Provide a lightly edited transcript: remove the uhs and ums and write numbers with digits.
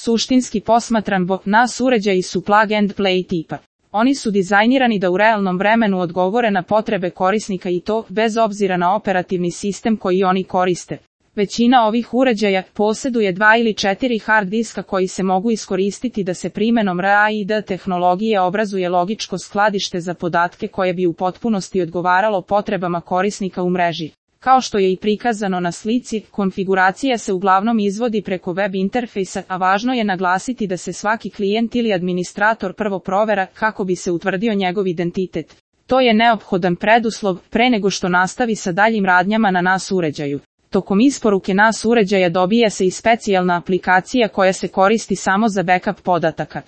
Suštinski posmatran NAS uređaji su plug and play tipa. Oni su dizajnirani da u realnom vremenu odgovore na potrebe korisnika i to, bez obzira na operativni sistem koji oni koriste. Većina ovih uređaja posjeduje 2 ili 4 hard diska koji se mogu iskoristiti da se primenom RAID tehnologije obrazuje logičko skladište za podatke koje bi u potpunosti odgovaralo potrebama korisnika u mreži. Kao što je i prikazano na slici, konfiguracija se uglavnom izvodi preko web interfejsa, a važno je naglasiti da se svaki klijent ili administrator prvo provera kako bi se utvrdio njegov identitet. To je neophodan preduslov pre nego što nastavi sa daljim radnjama na NAS uređaju. Tokom isporuke NAS uređaja dobija se i specijalna aplikacija koja se koristi samo za backup podataka.